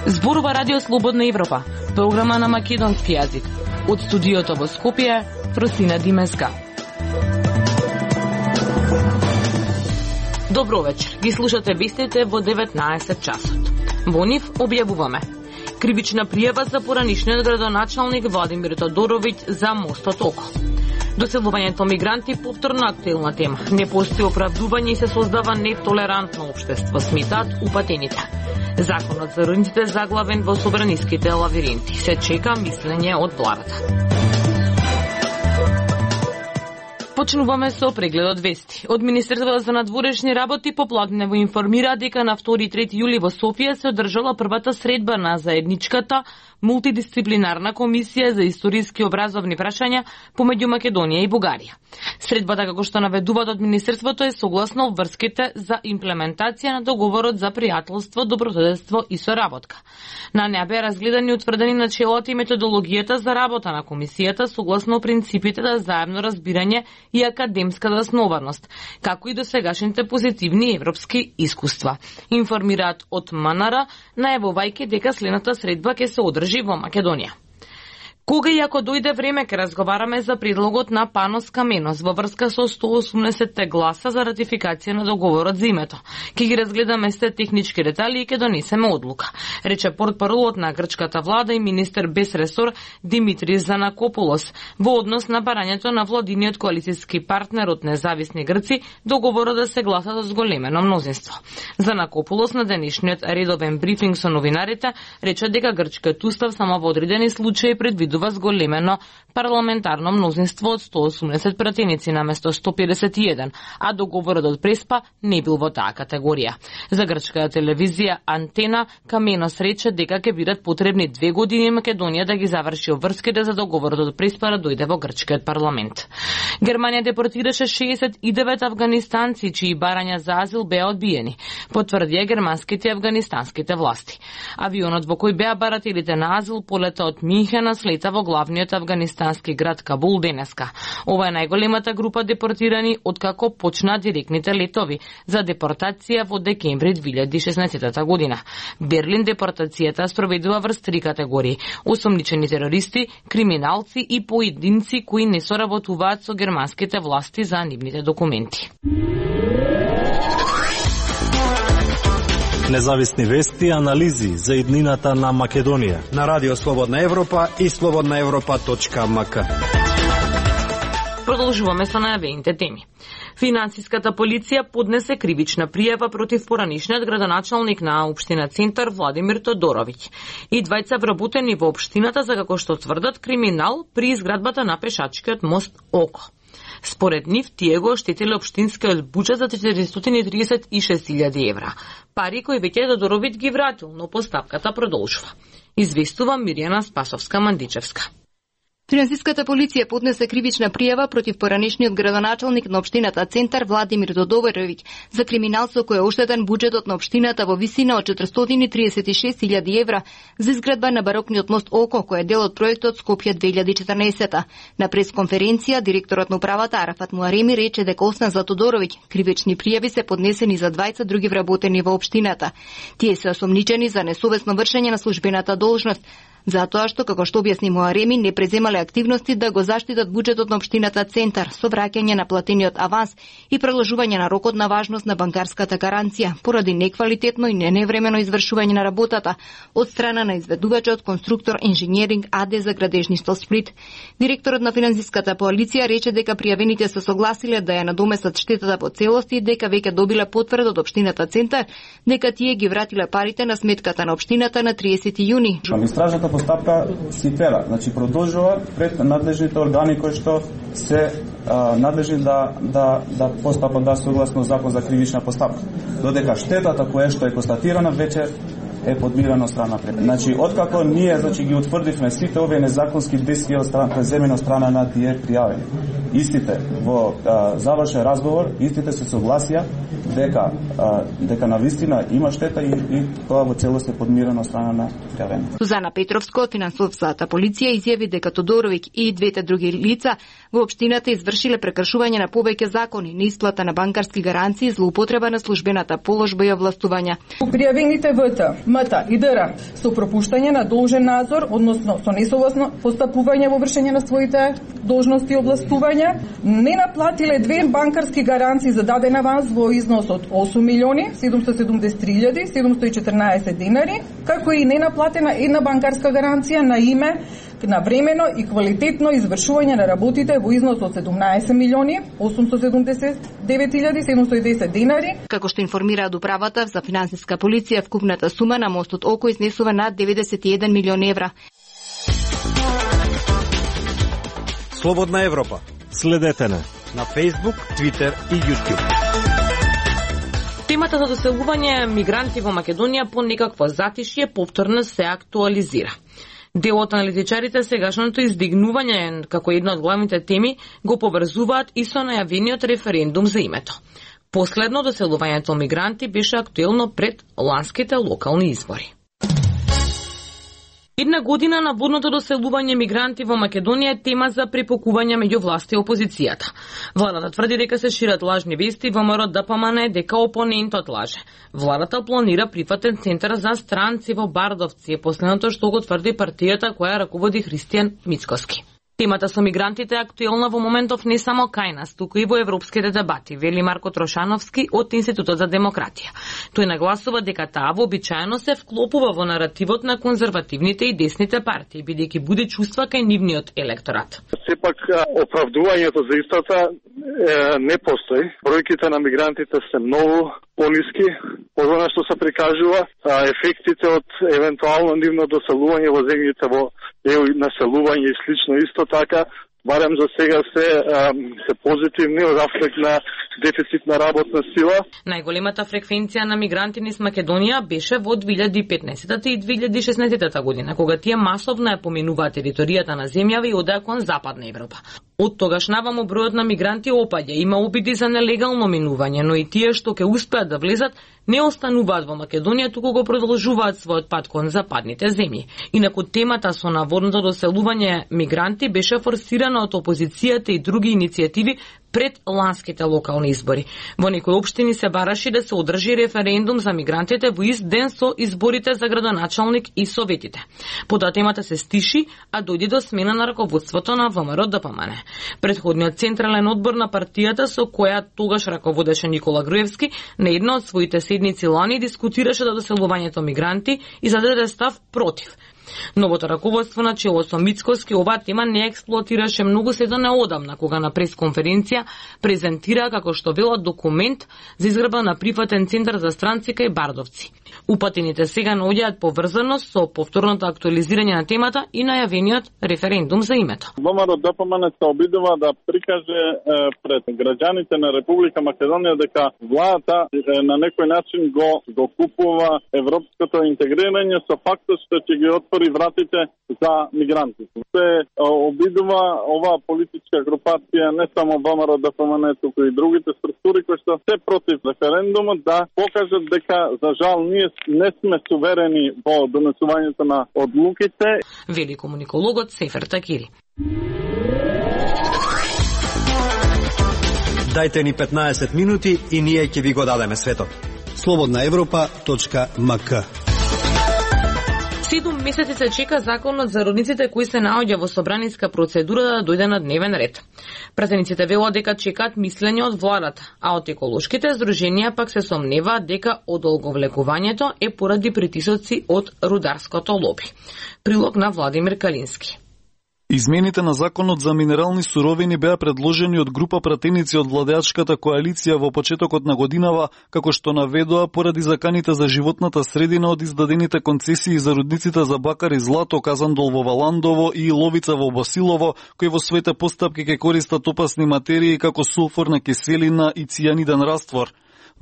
Зборува Радио Слободна Европа, програма на македонски јазик. Од студиото во Скопје, Просина Димеска. Добро вечер. Ги слушате вестите во 19 часот. Во нив објавуваме: кривична пријава за поранишниот градоначалник Владимир Тодоровиќ за мостот Око. Доселувањето мигранти повторно актуелна тема. Не постои оправдување и се создава нетолерантно општество, сметаат упатените. Законот за родниците заглавен во собраниските лавиринти. Се чека мислење од владата. Почнуваме со прегледот вести. Од Министерството за надворешни работи попладнево информира дека на 2 и 3 јули во Софија се одржала првата средба на заедничката мултидисциплинарна комисија за историски образовни прашања помеѓу Македонија и Бугарија. Средбата, како што наведуваат од Министерството, е согласно обврските за имплементација на договорот за пријателство, добрососедство и соработка. На неа беа разгледани и утврдени начелата и методологијата за работа на комисијата согласно принципите за заемно разбирање и академска заснованост, како и досегашните позитивни европски искуства. Информираат од МНР, најавувајќи дека следната средба ќе се одржи во Македонија. Кога и ако дојде време, ке разговараме за предлогот на Панос Каменос во врска со 180 гласа за ратификација на договорот за името. Ке ги разгледаме сте технички детали и ке донесеме одлука, рече портпаролот на грчката влада и министер без ресор Димитрис Занакопулос во однос на барањето на владиниот коалицијски партнер од независни грци договорот да се гласа со зголемено мнозинство. Занакопулос на денешниот редовен брифинг со новинарите рече дека грчкиот устав само во одредени случаи предвидува зголемено парламентарно мнозинство од 180 пратеници наместо 151, а договорот од Преспа не бил во таа категорија. За грчката телевизија Антена, Каменос рече дека ќе бидат потребни 2 години Македонија да ги заврши обврските за договорот од Преспа да дојде во грчкиот парламент. Германија депортираше 69 афганистанци чии барања за азил беа одбиени, потврдија германските и афганистанските власти. Авионот во кој беа барателите на азил полета од Минхена слета во главниот афганистански град Кабул денеска. Ова е најголемата група депортирани откако почна директните летови за депортација во декември 2016 година. Берлин депортацијата спроведува врз 3 категории: осомничени терористи, криминалци и поединци кои не соработуваат со германските власти за нивните документи. Независни вести и анализи за иднината на Македонија на Радио Слободна Европа и slobodnaevropa.mk. Продолжуваме со најавените теми. Финансиската полиција поднесе кривична пријава против поранишниот градоначалник на општина Центар Владимир Тодоровиќ и двајца вработени во општината за, како што тврдат, криминал при изградбата на пешачкиот мост Око. Според нив, тие го оштетиле општинскиот буџет за 436.000 евра. Пари кои веќе Тодоровиќ ги вратил, но постапката продолжува. Известува Мирјана Спасовска-Мандичевска. Финансиската полиција поднесе кривична пријава против поранешниот градоначалник на општината Центар Владимир Тодоровиќ за криминал со кој е оштетен буџетот на општината во висина од 436.000 евра за изградба на барокниот мост Око, кој е дел од проектот Скопје 2014. На пресконференција директорот на управата Арафат Муареми рече дека освен за Тодоровиќ, кривични пријави се поднесени за двајца други вработени во општината. Тие се осомничени за несовесно вршење на службената должност, затоа што, како што објасни Муареми, не преземале активности да го заштитат буџетот на општината Центар со враќање на платениот аванс и продолжување на рокот на важност на банкарската гаранција поради неквалитетно и неневремено извршување на работата од страна на изведувачот Конструктор Инженеринг АД за градежништво Сплит. Директорот на финансиската полиција рече дека пријавените се согласиле да ја надоместат штетата по целост и дека веќе добиле потврда од општината Центар дека тие ги вратиле парите на сметката на општината на 30 јуни. Постапка си тера, значи продолжува пред надлежните органи кои што се надлежни да постапат да согласно закон за кривична постапка. Додека штетата која што е констатирана веќе е подмирена страна пред. Значи откако ние ги утврдивме сите овие незаконски действија од страна преземена страна на тие пријавени. Истите во завршен разговор, истите се согласија дека навистина има штета и тоа во целост е подмирено од страна на пrijavеник. Сузана Петровска од финансовата полиција изјави дека Тодоровиќ и двете други лица во општината извршиле прекршување на повеќе закони, неисплата на банкарски гаранции, злоупотреба на службената положба и овластувања. Пријавените ВТ, МТ и ДР со пропуштање на должен надзор, односно со несовласно постапување во вршење на своите должности и овластувања, не наплатиле две банкарски гаранции за даден аванс во износ од 8.773.714 динари, како и ненаплатена една банкарска гаранција на име на времено и квалитетно извршување на работите во износ од 17.879.710 динари. Како што информираат управата за финансиска полиција, вкупната сума на мостот Око изнесува над 91 милион евра. Слободна Европа. Следете на Facebook, Twitter и YouTube. Темата за доселување мигранти во Македонија по некакво затишје повторно се актуализира. Дел од аналитичарите сегашното издигнување како една од главните теми го поврзуваат и со најавениот референдум за името. Последно доселувањето мигранти беше актуелно пред ланските локални избори. Една година на водното доселување мигранти во Македонија е тема за препокување меѓу власт и опозицијата. Владата тврди дека се шират лажни вести, ВМРО ДПМН дека опонентот лаже. Владата планира прифатен центар за странци во Бардовци, последното што го тврди партијата која раководи Христијан Мицкоски. Темата со мигрантите е актуелна во моментов не само кај нас, туку и во европските дебати, вели Марко Трошановски од Институтот за демократија. Тој нагласува дека таа вообичаено се вклопува во наративот на конзервативните и десните партии, бидејќи буди чувства кај нивниот електорат. Сепак оправдувањето за истата не постои. Бројките на мигрантите се многу пониски од она што се прикажува, ефектите од евентуално нивно доселување во земјите во ЕУ и населување и слично исто така, барем за сега се позитивни од аспект на дефицит на работна сила. Најголемата фреквенција на мигранти низ Македонија беше во 2015 и 2016 година, кога тие масовно ја поминуваа територијата на земјава и одеа кон Западна Европа. Од тогаш наваму бројот на мигранти опаѓа, има обиди за нелегално минување, но и тие што ќе успеат да влезат не остануваат во Македонија, туку го продолжуваат својот пат кон западните земји. Инаку темата со наводното доселување мигранти беше форсирана од опозицијата и други иницијативи пред ланските локални избори. Во некои општини се бараше да се одржи референдум за мигрантите во ист ден со изборите за градоначалник и советите. Потоа темата се стиши, а дојде до смена на раководството на ВМРО ДПМН. Предходниот централен одбор на партијата со која тогаш раководеше Никола Груевски на една од своите седници лани дискутираше за доселувањето мигранти и зададе став против. Новото раководство на чело со Мицкоски оваа тема не експлоатираше многу се до неодамна, кога на пресконференција презентира како што вело документ за изградба на прифатен центар за странци кај Бардовци. Упатените сега наоѓаат поврзаност со повторното актуализирање на темата и најавениот референдум за името. ВМРО ДПМН се обидува да прикаже пред граѓаните на Република Македонија дека владата на некој начин го купува европското интегрирање со фактот што ќе ги отвори вратите за мигрантите. Се обидува оваа политичка групација, не само ВМРО ДПМН, туку и другите структури кои што се против референдумот, да покажат дека за жал ние не сме суверени во донесувањето на одлуките. Вели комуникологот Сефер Такири. Дајте ни 15 минути и ние ќе ви го дадеме светот. slobodnaevropa.mk 7 месеци се чека законот за родниците кои се наоѓа во собраниска процедура да дојде на дневен ред. Пратениците велат дека чекаат мислење од владата, а од еколошките здруженија пак се сомневаат дека одолговлекувањето е поради притисоци од рударското лоби. Прилог на Владимир Калински. Измените на законот за минерални суровини беа предложени од група пратеници од владеачката коалиција во почетокот на годинава, како што наведоа поради заканите за животната средина од издадените концесии за рудниците за бакар и злато Казандол во Валандово и Ловица во Босилово, кои во своите постапки ќе користат опасни материи како сулфурна киселина и цијаниден раствор.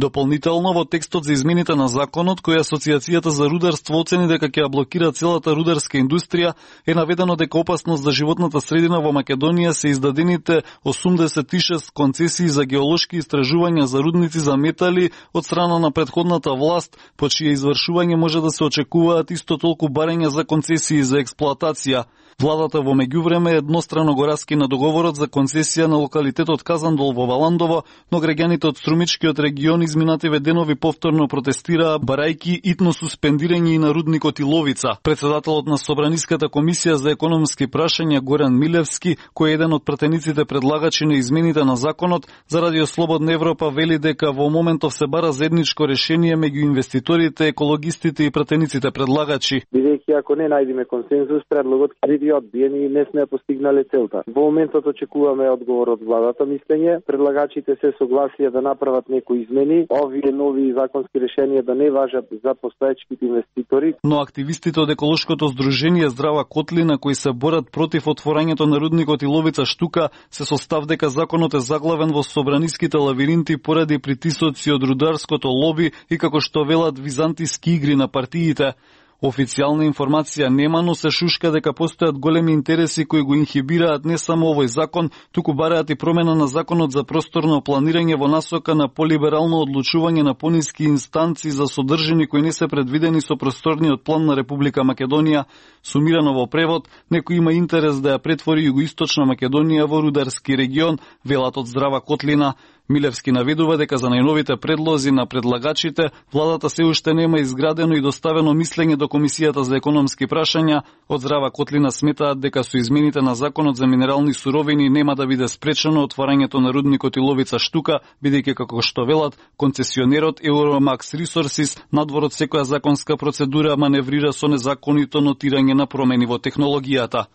Дополнително во текстот за измените на законот, кој Асоциацијата за рударство оцени дека ќе ја блокира целата рударска индустрија, е наведено дека опасност за животната средина во Македонија се издадените 86 концесии за геолошки истражувања за рудници за метали од страна на претходната власт, по чие извршување може да се очекуваат исто толку барања за концесии за експлоатација. Владата во меѓувреме еднострано го раскина договорот за концесија на локалитетот Казандол во Валандово, но граѓаните од струмичкиот регион изминативе денови повторно протестираа барајки итно суспендирање и на рудникот Иловица. Председателот на Собраниската комисија за економски прашања Горан Милевски, кој е еден од пратениците предлагачи на измените на законот, за Радио Слободна Европа вели дека во моментов се бара заедничко решение меѓу инвеститорите, екологистите и пратениците предлагачи. Бидејќи ако не најдеме консензус, предлогот ќе биде одбиен и не сме постигнале целта. Во моментот очекуваме одговор од владата мислење. Предлагачите се согласија да направат некои измени, овие нови законски решенија да не важат за постоечките инвеститори. Но активистите од еколошкото здружение Здрава Котлина, кои се борат против отворањето на рудникот Иловица Штука, се со став дека законот е заглавен во собраниските лавиринти поради притисоци од рударското лоби и како што велат византиски игри на партиите. Официјална информација нема, но се шушка дека постојат големи интереси кои го инхибираат не само овој закон, туку бараат и промена на законот за просторно планирање во насока на полиберално одлучување на пониски инстанции за содржини кои не се предвидени со просторниот план на Република Македонија. Сумирано во превод, некој има интерес да ја претвори Југоисточна Македонија во рударски регион, велат од Здрава Котлина. Милевски наведува дека за најновите предлози на предлагачите, владата се уште нема изградено и доставено мислење до Комисијата за економски прашања. Од Здрава Котлина сметаат дека со измените на законот за минерални суровини нема да биде спречено отворањето на рудникот Иловица Штука, бидејќи како што велат, концесионерот Euromax Resources надвор од секоја законска процедура маневрира со незаконито нотирање на промени во технологијата.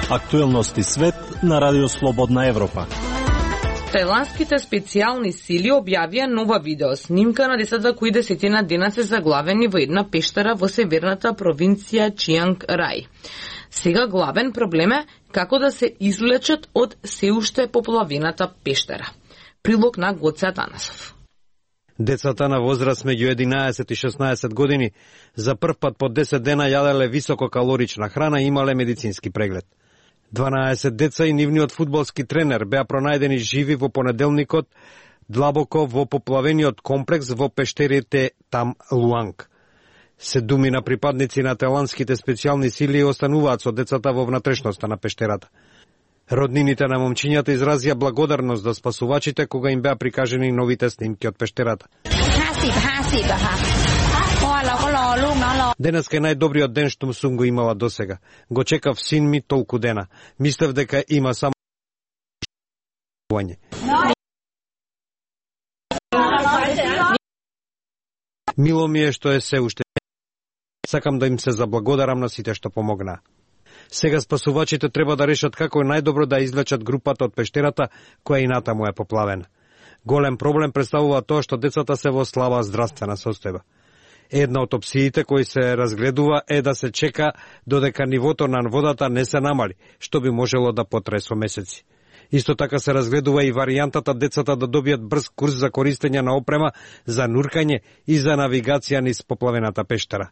Актуелности свет на Радио Слободна Европа. Тајландските специјални сили објавија нова видеоснимка на децата кои 10 дена се заглавени во една пештера во северната провинција Чианг Рај. Сега главен проблем е како да се извлечат од се уште поплавената пештера. Прилог на Гоце Атанасов. Децата на возраст меѓу 11 и 16 години за прв пат по 10 дена јаделе висококалорична храна и имале медицински преглед. 12 деца и нивниот фудбалски тренер беа пронајдени живи во понеделникот длабоко во поплавениот комплекс во пештерите Там Луанг. 7 припадници на тајландските специјални сили остануваат со децата во внатрешноста на пештерата. Роднините на момчињата изразија благодарност за спасувачите кога им беа прикажени новите снимки од пештерата. Денеска е најдобриот ден што сум го имала досега. Го чекав син ми толку дена. Мислев дека има само Мило ми е што е се уште. Сакам да им се заблагодарам на сите што помогнаа. Сега спасувачите треба да решат како е најдобро да извлечат групата од пештерата, која и натаму е поплавена. Голем проблем представува тоа што децата се во слаба здравствена состојба. Една од опциите кои се разгледува е да се чека додека нивото на водата не се намали, што би можело да потрае со месеци. Исто така се разгледува и варијантата децата да добијат брз курс за користење на опрема за нуркање и за навигација низ поплавената пештера.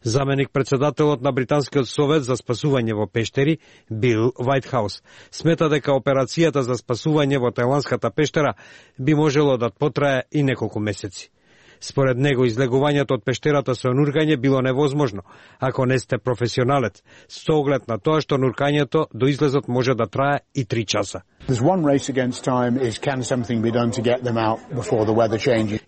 Заменик председателот на Британскиот совет за спасување во пештери, Бил Вајтхаус, смета дека операцијата за спасување во тајландската пештера би можело да потрае и неколку месеци. Според него, излегувањето од пештерата со нуркање било невозможно, ако не сте професионалец, со оглед на тоа што нуркањето до излезот може да трае и 3 часа.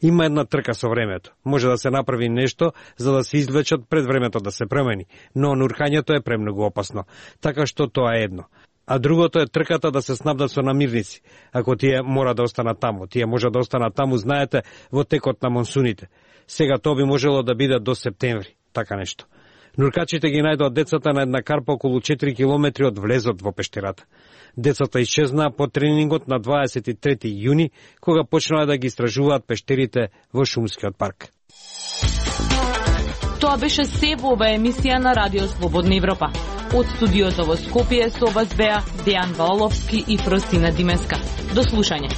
Има една трка со времето. Може да се направи нешто за да се извлечат пред времето да се промени, но нуркањето е премногу опасно, така што тоа е едно. А другото е трката да се снабдат со намирници. Ако тие мора да останат таму, тие може да останат таму, знаете, во текот на монсуните. Сега тоа би можело да биде до септември, така нешто. Нуркачите ги најдоа децата на една карпа околу 4 километри од влезот во пештерата. Децата исчезнаа по тренингот на 23 јуни, кога почнаа да ги истражуваат пештерите во Шумскиот парк. Тоа беше се во оваа емисија на Радио Слободна Европа. Од студиото во Скопје со вас беа Дејан Валовски и Фростина Димеска. До слушање.